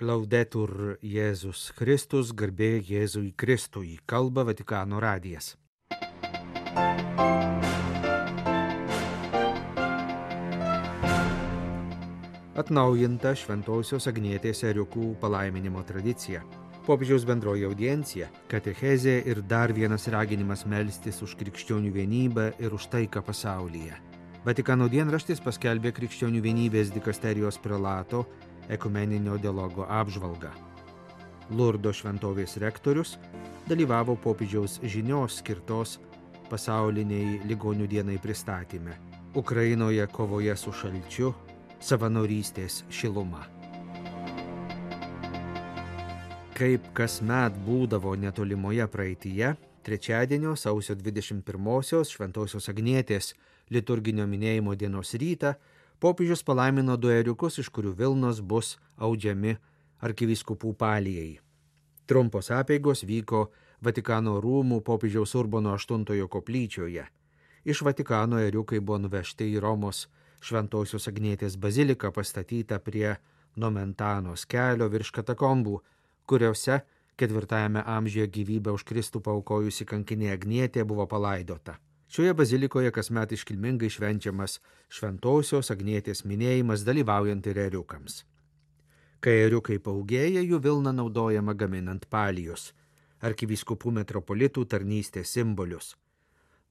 Laudetur Jėzus Kristus, garbė Jėzui Kristui, kalba Vatikano radijas. Atnaujinta Šventosios Agnietės ėriukų palaiminimo tradicija. Popiežiaus bendroji audiencija, katechezė ir dar vienas raginimas melstis už krikščionių vienybę ir už taiką pasaulyje. Vatikano dienraštis paskelbė krikščionių vienybės dikasterijos prelato ekumeninio dialogo apžvalgą. Lurdo šventovės rektorius dalyvavo popiežiaus žinios skirtos pasauliniai ligonių dienai pristatyme. Ukrainoje kovoje su šalčiu, savanorystės šiluma. Kaip kasmet būdavo netolimoje praeityje, trečiadienio sausio 21-osios Šventosios Agnietės liturginio minėjimo dienos rytą popiežius palaimino 2 ėriukus, iš kurių vilnos bus audžiami arkivyskupų palijai. Trumpos apeigos vyko Vatikano rūmų popiežiaus Urbono VIII koplyčioje. Iš Vatikano ėriukai buvo nuvežti į Romos Šventosios Agnietės baziliką pastatytą prie Nomentanos kelio virš katakombų, kuriuose 4 amžiuje gyvybę už Kristų paaukojusi kankinė Agnietė buvo palaidota. Šioje bazilikoje kasmet iškilmingai švenčiamas Šventosios Agnietės minėjimas dalyvaujant ir ėriukams. Kai ėriukai paugėja, jų vilna naudojama gaminant palijus, arkivyskupų metropolitų tarnystės simbolius.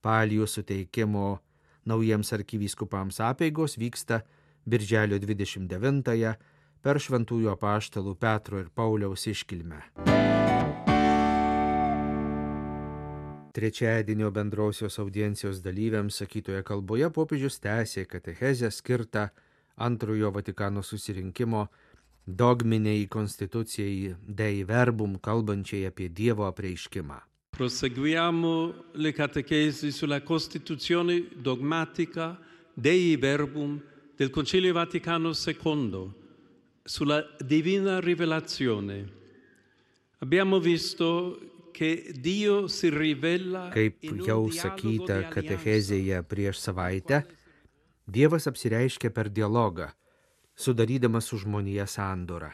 Palijų suteikimo naujiems arkivyskupams apeigos vyksta birželio 29-ąją per šventųjų apaštalų Petro ir Pauliaus iškilmę. Trečiadienio bendrosios audiencijos dalyviams sakytoje kalboje popiežius tęsė katechezę skirtą antrojo Vatikano susirinkimo dogminiai konstitucijai Dei Verbum, kalbančiai apie Dievo apreiškimą. Proseguiamo le catechesi sulla Costituzione dogmatica Dei Verbum del Concilio Vaticano II, sulla Divina Rivelazione. Abbiamo visto Kaip jau sakyta katechezėje prieš savaitę, Dievas apsireiškia per dialogą, sudarydamas su žmonija sandorą.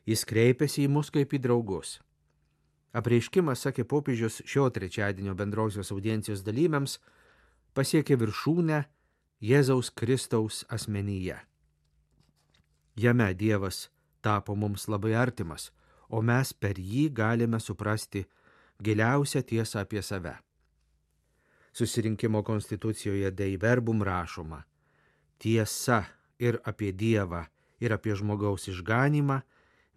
Jis kreipiasi į mus kaip į draugus. Apreiškimas, sakė popiežius šio trečiadienio bendrosios audiencijos dalyviams, pasiekė viršūnę Jėzaus Kristaus asmenyje. Jame Dievas tapo mums labai artimas, o mes per jį galime suprasti giliausią tiesą apie save. Susirinkimo konstitucijoje Dei Verbum rašoma: tiesa ir apie Dievą, ir apie žmogaus išganymą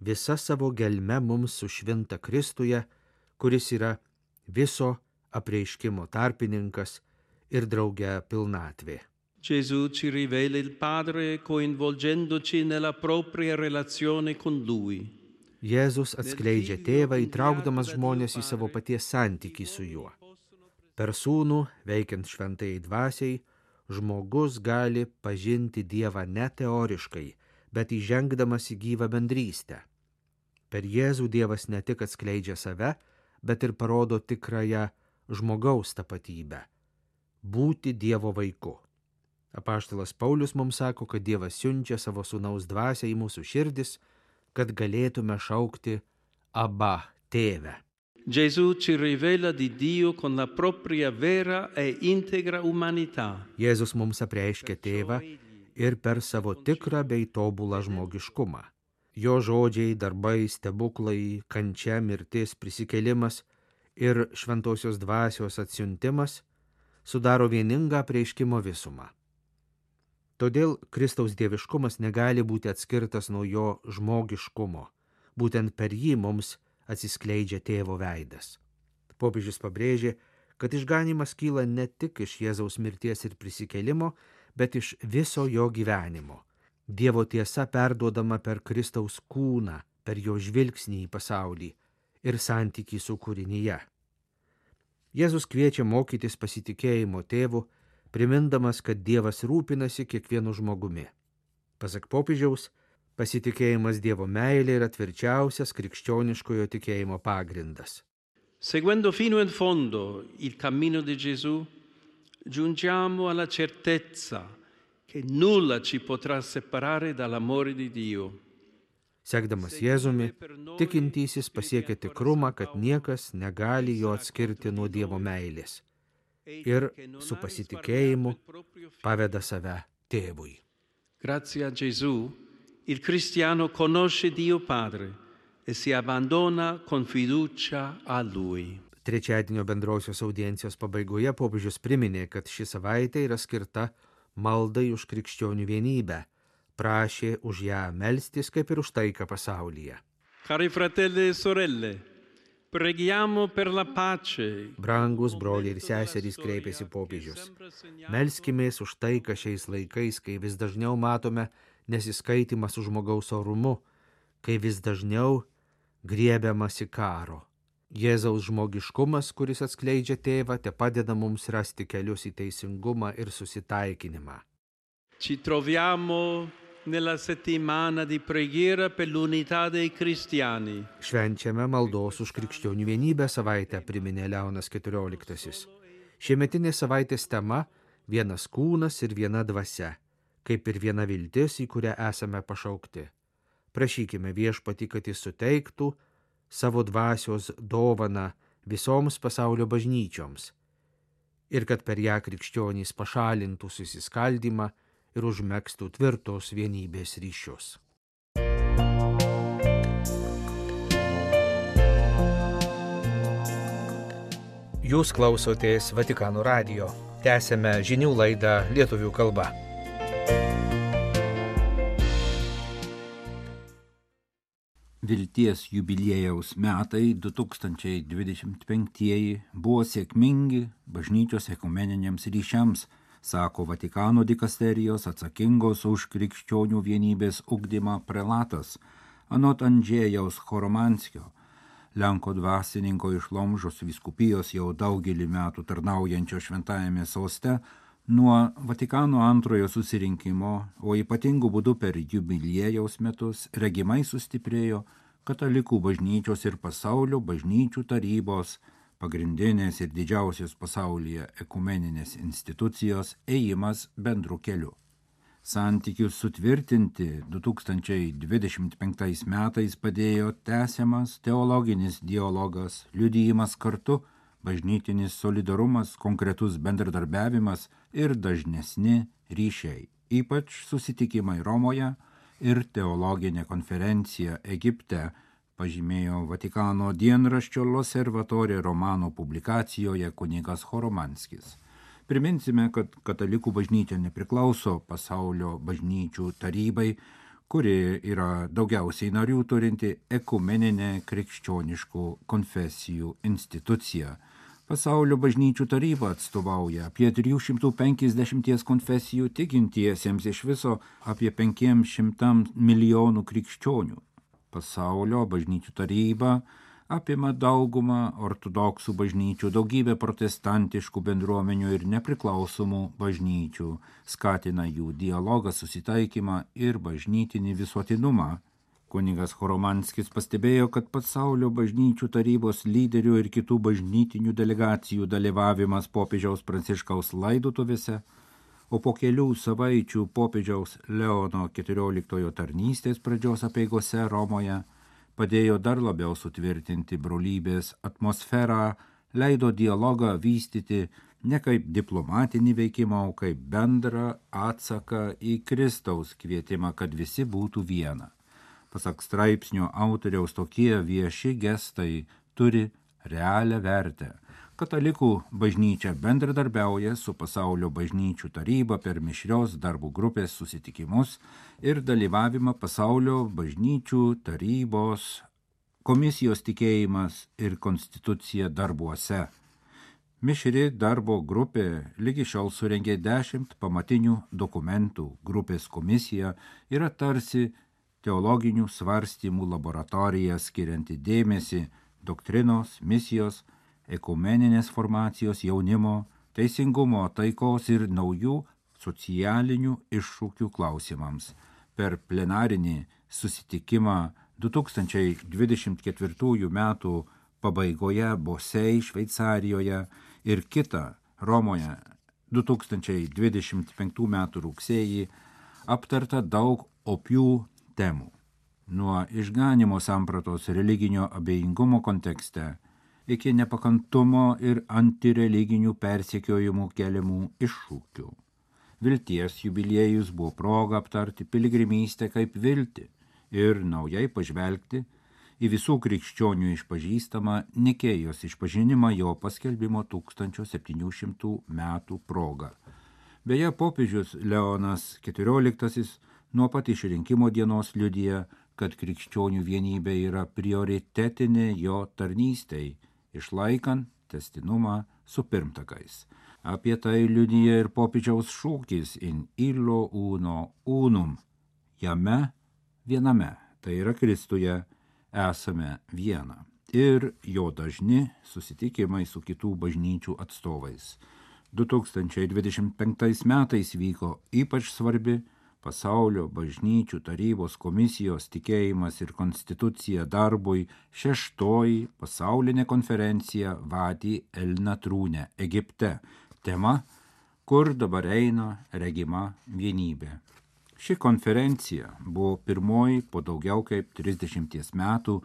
visa savo gelme mums sušvinta Kristuje, kuris yra viso apreiškimo tarpininkas ir drauge pilnatvė. Gesù ci rivela il Padre coinvolgendoci nella propria relazione con Lui. Jėzus atskleidžia tėvą, įtraukdamas žmonės į savo paties santykį su juo. Per sūnų, veikiant šventajai dvasiai, žmogus gali pažinti Dievą ne teoriškai, bet įžengdamas į gyvą bendrystę. Per Jėzų Dievas ne tik atskleidžia save, bet ir parodo tikrąją žmogaus tapatybę – būti Dievo vaiku. Apaštalas Paulius mums sako, kad Dievas siunčia savo sūnaus dvasią į mūsų širdis, kad galėtume šaukti Abba, tėve. Gesù ci rivela di Dio con la propria vera e integra umanità. Jėzus mums apreiškia tėvą ir per savo tikrą bei tobulą žmogiškumą. Jo žodžiai, darbai, stebuklai, kančia, mirtis, prisikėlimas ir šventosios dvasios atsiuntimas sudaro vieningą apreiškimo visumą. Todėl Kristaus dieviškumas negali būti atskirtas nuo jo žmogiškumo. Būtent per jį mums atsiskleidžia tėvo veidas. Popiežius pabrėžė, kad išganymas kyla ne tik iš Jėzaus mirties ir prisikėlimo, bet iš viso jo gyvenimo. Dievo tiesa perduodama per Kristaus kūną, per jo žvilgsnį į pasaulį ir santykį su kūrinyje. Jėzus kviečia mokytis pasitikėjimo tėvu, primindamas, kad Dievas rūpinasi kiekvienu žmogumi. Pasak popiežiaus, pasitikėjimas Dievo meilė yra tvirčiausias krikščioniškojo tikėjimo pagrindas. Seguendo fino in fondo il cammino di Gesù, giungiamo alla certezza che nulla ci potrà separare dall'amore di Dio. Sekdamas Jėzumi, tikintysis pasiekia tikrumą, kad niekas negali jo atskirti nuo Dievo meilės ir su pasitikėjimu paveda save Tėvui. Grazie a Gesù, il cristiano conosce Dio Padre e si abbandona con fiducia a Lui. Trečiadienio bendrosios audiencijos pabaigoje popiežius priminė, kad ši savaitė yra skirta maldai už krikščionių vienybę, prašė už ją melstis kaip ir už taiką pasaulyje. Cari fratelli e sorelle, preghiamo per la pace. Brangus broliai ir seserys, kreipėsi popiežius. Melskimės už taiką šiais laikais, kai vis dažniau matome nesiskaitimą su žmogaus orumu, kai vis dažniau griebiamasi karo. Jėzaus žmogiškumas, kuris atskleidžia tėvą, te padeda mums rasti kelius į teisingumą ir susitaikinimą. Ci troviamo nella settimana di preghiera per l'unità dei cristiani. Švenčiame maldos už krikščionių vienybę savaitę, priminė Leonas XIV. Šiemetinės savaitės tema – vienas kūnas ir viena dvasia, kaip ir viena viltis, į kurią esame pašaukti. Prašykime Viešpatį, kad jis suteiktų savo dvasios dovaną visoms pasaulio bažnyčioms ir kad per ją krikščionys pašalintų susiskaldymą ir užmegztų tvirtos vienybės ryšius. Jūs klausotės Vatikano radijo. Tęsėme žinių laidą lietuvių kalba. Vilties jubiliejaus metai 2025 buvo sėkmingi bažnyčios ekumeniniams ryšiams, sako Vatikano dikasterijos atsakingos už krikščionių vienybės ugdymą prelatas, anot Andžėjaus Choromanskio, Lenko dvasininko iš Lomžos vyskupijos jau daugelį metų tarnaujančio šventajame soste. Nuo Vatikano antrojo susirinkimo, o ypatingų būdų per jubiliejaus metus, regimai sustiprėjo katalikų bažnyčios ir pasaulio bažnyčių tarybos, pagrindinės ir didžiausios pasaulyje ekumeninės institucijos ėjimas bendru keliu. Santykius sutvirtinti 2025 metais padėjo tęsiamas teologinis dialogas, liudijimas kartu, bažnytinis solidarumas, konkretus bendradarbiavimas ir dažnesni ryšiai, ypač susitikimai Romoje ir teologinė konferencija Egipte, pažymėjo Vatikano dienraščio L'Osservatore Romano publikacijoje kunigas Choromanskis. Priminsime, kad katalikų bažnyčia nepriklauso pasaulio bažnyčių tarybai, kuri yra daugiausiai narių turinti ekumeninė krikščioniškų konfesijų institucija. Pasaulio bažnyčių taryba atstovauja apie 350 konfesijų tikintiesiems, iš viso apie 500 milijonų krikščionių. Pasaulio bažnyčių taryba apima daugumą ortodoksų bažnyčių, daugybę protestantiškų bendruomenių ir nepriklausomų bažnyčių, skatina jų dialogą, susitaikymą ir bažnytinį visuotinumą. Kunigas Choromanskis pastebėjo, kad pasaulio bažnyčių tarybos lyderių ir kitų bažnytinių delegacijų dalyvavimas popiežiaus Pranciškaus laidotuvėse, o po kelių savaičių popiežiaus Leono XIV tarnystės pradžios apeigose Romoje padėjo dar labiau sutvirtinti brolybės atmosferą, leido dialogą vystyti ne kaip diplomatinį veikimą, o kaip bendrą atsaką į Kristaus kvietimą, kad visi būtų viena. Pasak straipsnio autoriaus, tokie vieši gestai turi realią vertę. Katalikų bažnyčia bendradarbiauja su pasaulio bažnyčių taryba per mišrios darbų grupės susitikimus ir dalyvavimą pasaulio bažnyčių tarybos komisijos tikėjimas ir konstitucija darbuose. Mišri darbo grupė lygi šiol surengė 10 pamatinių dokumentų. Grupės komisija yra tarsi teologinių svarstymų laboratorija, skirianti dėmesį doktrinos, misijos, ekumeninės formacijos, jaunimo, teisingumo, taikos ir naujų socialinių iššūkių klausimams. Per plenarinį susitikimą 2024 metų pabaigoje Bosei, Šveicarijoje ir kitą Romoje 2025 metų rugsėjį aptarta daug opių temų. nuo išganimo sampratos religinio abejingumo kontekste iki nepakantumo ir antireliginių persekiojimų keliamų iššūkių. Vilties jubiliejus buvo proga aptarti piligrimystę kaip viltį ir naujai pažvelgti į visų krikščionių išpažįstamą Nikėjos išpažinimą jo paskelbimo 1700 metų proga. Beje, popiežius Leonas XIV nuo pat išrinkimo dienos liudija, kad krikščionių vienybė yra prioritetinė jo tarnystei, išlaikant testinumą su pirmtakais. Apie tai liudija ir popiežiaus šūkis in illo uno unum. Jame viename, tai yra Kristuje, esame viena. Ir jo dažni susitikimai su kitų bažnyčių atstovais. 2025 metais vyko ypač svarbi Pasaulio bažnyčių tarybos komisijos tikėjimas ir konstitucija darbui 6. pasaulinė konferencija Vadi el Natrūne, Egipte. Tema, kur dabar eina regima vienybė. Ši konferencija buvo pirmoji po daugiau kaip 30 metų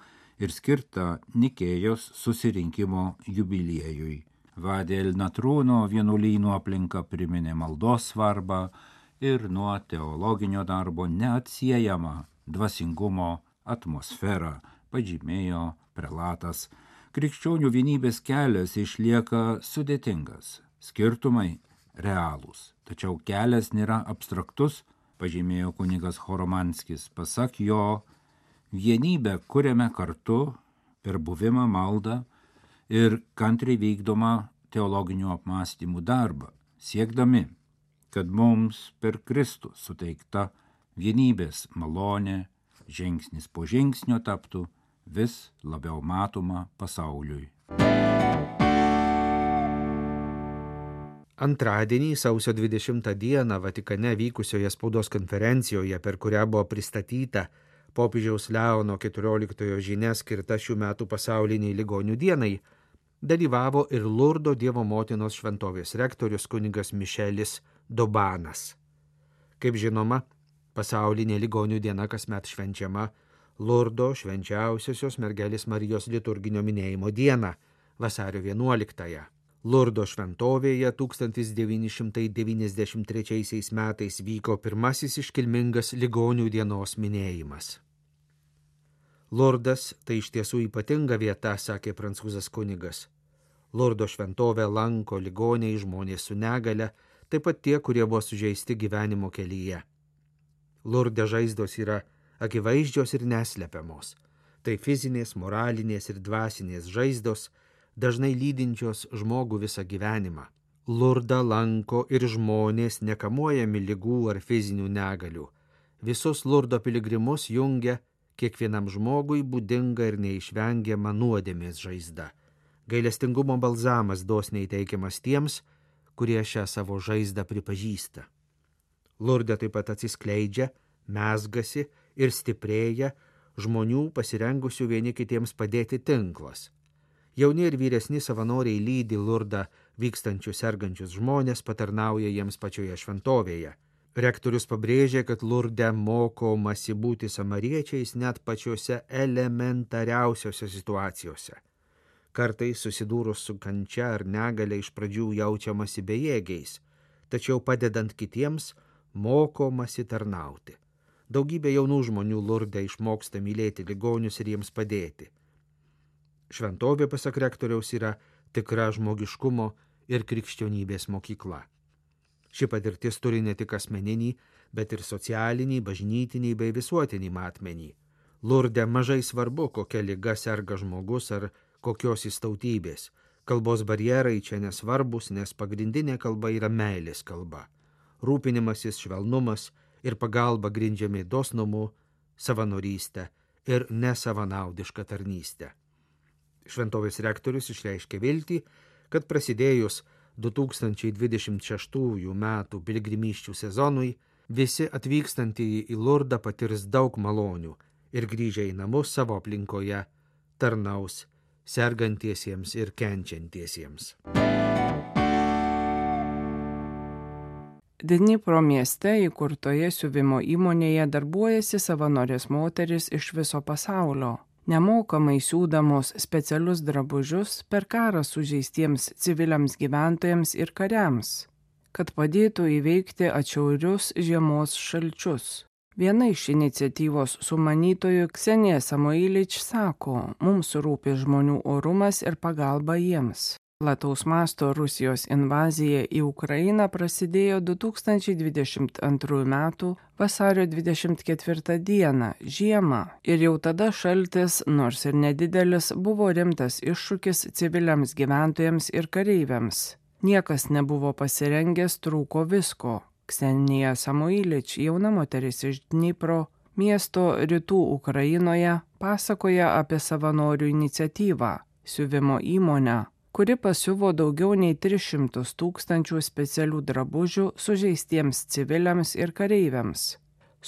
ir skirta Nikėjos susirinkimo jubiliejui. Vadi el Natrūno vienuolynų aplinka priminė maldos svarbą ir nuo teologinio darbo neatsiejamą dvasingumo atmosferą, pažymėjo prelatas. Krikščionių vienybės kelias išlieka sudėtingas, skirtumai realūs, tačiau kelias nėra abstraktus, pažymėjo kunigas Horomanskis. Pasak jo, vienybę kuriame kartu per buvimą maldą ir kantriai vykdomą teologinių apmąstymų darbą, siekdami, kad mums per Kristų suteikta vienybės malonė žingsnis po žingsnio taptų vis labiau matoma pasauliui. Antradienį, sausio 20 dieną, Vatikane vykusioje spaudos konferencijoje, per kurią buvo pristatyta popiežiaus Leono XIV žinia skirta šių metų pasauliniai ligonių dienai, dalyvavo ir Lurdo Dievo motinos šventovės rektorius kunigas Mišelis Dobanas. Kaip žinoma, pasaulinė ligonių diena kasmet švenčiama Lurdo švenčiausiosios mergelės Marijos liturginio minėjimo dieną, vasario 11. Lurdo šventovėje 1993 metais vyko pirmasis iškilmingas ligonių dienos minėjimas. Lurdas tai iš tiesų ypatinga vieta, sakė prancūzas kunigas. Lurdo šventovę lanko ligoniai, žmonės su negale, taip pat tie, kurie buvo sužeisti gyvenimo kelyje. Lurde žaizdos yra akivaizdžios ir neslepiamos. Tai fizinės, moralinės ir dvasinės žaizdos, dažnai lydinčios žmogų visą gyvenimą. Lurdą lanko ir žmonės nekamuojami ligų ar fizinių negalių. Visus Lurdo piligrimus jungia kiekvienam žmogui būdinga ir neišvengiama nuodėmės žaizda. Gailestingumo balzamas dosniai teikiamas tiems, kurie šią savo žaizdą pripažįsta. Lurde taip pat atsiskleidžia, mezgasi ir stiprėja žmonių pasirengusių vieni kitiems padėti tinklas. Jauni ir vyresni savanoriai lydi Lurdą vykstančius sergančius žmonės, patarnauja jiems pačioje šventovėje. Rektorius pabrėžė, kad Lurde mokomasi būti samariečiais net pačiose elementariausiose situacijose. Kartais susidūrus su kančia ar negale iš pradžių jaučiamasi bejėgiais, tačiau padedant kitiems mokomasi tarnauti. Daugybė jaunų žmonių Lurde išmoksta mylėti ligonius ir jiems padėti. Šventovė, pasak rektoriaus, yra tikra žmogiškumo ir krikščionybės mokykla. Ši patirtis turi ne tik asmeninį, bet ir socialinį, bažnytinį bei visuotinį matmenį. Lurde mažai svarbu, kokia liga serga žmogus ar kokios jis tautybės. Kalbos barjerai čia nesvarbus, nes pagrindinė kalba yra meilės kalba. Rūpinimasis, švelnumas ir pagalba grindžiami dosnumu, savanorystę ir nesavanaudišką tarnystę. Šventovės rektorius išreiškė viltį, kad prasidėjus 2026 metų piligrimysčių sezonui visi atvykstantieji į Lurdą patirs daug malonių ir grįžę į namus savo aplinkoje tarnaus sergantiesiems ir kenčiantiesiems. Dnipro mieste įkurtoje siuvimo įmonėje darbuojasi savanorės moteris iš viso pasaulio. Nemokamai siūdamos specialius drabužius per karą sužeistiems civiliams gyventojams ir kariams, kad padėtų įveikti atšiaurius žiemos šalčius. Viena iš iniciatyvos sumanytojų Ksenija Samoilič sako, mums rūpi žmonių orumas ir pagalba jiems. Plataus masto Rusijos invazija į Ukrainą prasidėjo 2022 m. vasario 24 d. žiemą ir jau tada šaltis, nors ir nedidelis, buvo rimtas iššūkis civiliams gyventojams ir kareiviams. Niekas nebuvo pasirengęs, trūko visko. Ksenija Samoilič, jauna moteris iš Dnipro, miesto rytų Ukrainoje, pasakoja apie savanorių iniciatyvą – siuvimo įmonę, kuri pasiuvo daugiau nei 300 000 specialių drabužių sužeistiems civiliams ir kareiviams,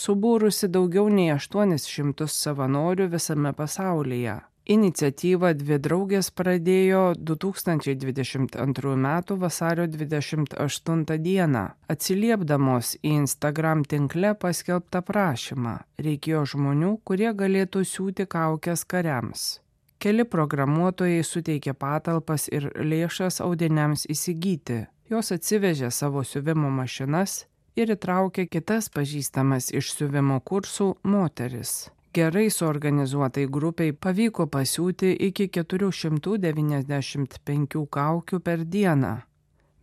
subūrusi daugiau nei 800 savanorių visame pasaulyje. Iniciatyvą dvi draugės pradėjo 2022 m. vasario 28 d. atsiliepdamos į Instagram tinkle paskelbtą prašymą. Reikėjo žmonių, kurie galėtų siūti kaukes kariams. Keli programuotojai suteikė patalpas ir lėšas audiniams įsigyti. Jos atsivežė savo siuvimo mašinas ir įtraukė kitas pažįstamas iš siuvimo kursų moteris. Gerai suorganizuotai grupiai pavyko pasiūti iki 495 kaukių per dieną.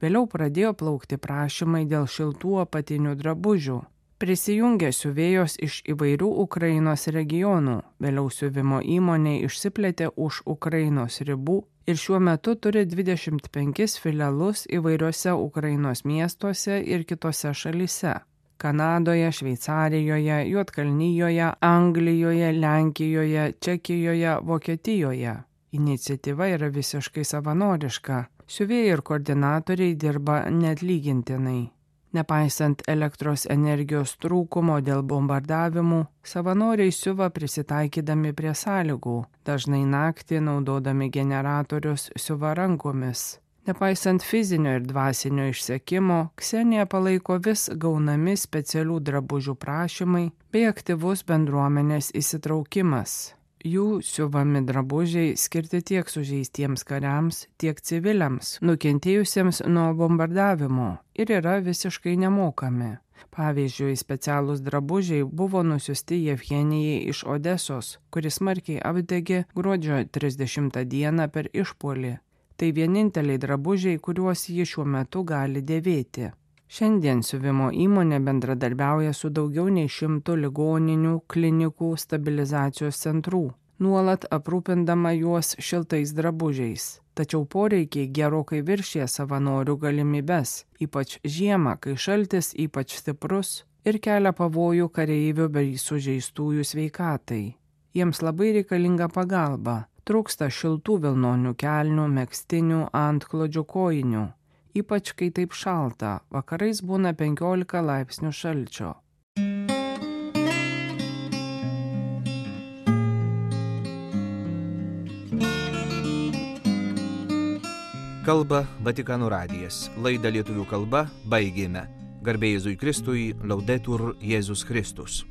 Vėliau pradėjo plaukti prašymai dėl šiltų apatinių drabužių. Prisijungė siuvėjos iš įvairių Ukrainos regionų, vėliau siuvimo įmonė išsiplėtė už Ukrainos ribų ir šiuo metu turi 25 filialus įvairiuose Ukrainos miestuose ir kitose šalyse – Kanadoje, Šveicarijoje, Juodkalnijoje, Anglijoje, Lenkijoje, Čekijoje, Vokietijoje. Iniciatyva yra visiškai savanoriška, siuvėjai ir koordinatoriai dirba neatlygintinai. Nepaisant elektros energijos trūkumo dėl bombardavimų, savanoriai siuva prisitaikydami prie sąlygų, dažnai naktį naudodami generatorius siuva rankomis. Nepaisant fizinio ir dvasinio išsekimo, Ksenija palaiko vis gaunami specialių drabužių prašymai bei aktyvus bendruomenės įsitraukimas. Jų siuvami drabužiai skirti tiek sužeistiems kariams, tiek civiliams, nukentėjusiems nuo bombardavimo ir yra visiškai nemokami. Pavyzdžiui, specialūs drabužiai buvo nusiųsti Jevgenijai iš Odesos, kuris smarkiai apdegė gruodžio 30 dieną per išpuolį. Tai vieninteliai drabužiai, kuriuos ji šiuo metu gali dėvėti. Šiandien siuvimo įmonė bendradarbiauja su daugiau nei 100 ligoninių, klinikų, stabilizacijos centrų, nuolat aprūpindama juos šiltais drabužiais. Tačiau poreikiai gerokai viršė savanorių galimybes, ypač žiemą, kai šaltis ypač stiprus ir kelia pavojų kareivių bei sužeistųjų sveikatai. Jiems labai reikalinga pagalba, trūksta šiltų vilnonių kelnių, megztinių, antklodžių, kojinių. Ypač kai taip šalta, vakarais būna 15 laipsnių šalčio. Kalba Vatikano radijas. Laidą lietuvių kalba baigėme. Garbė Jėzui Kristui, Laudetur Jėzus Kristus.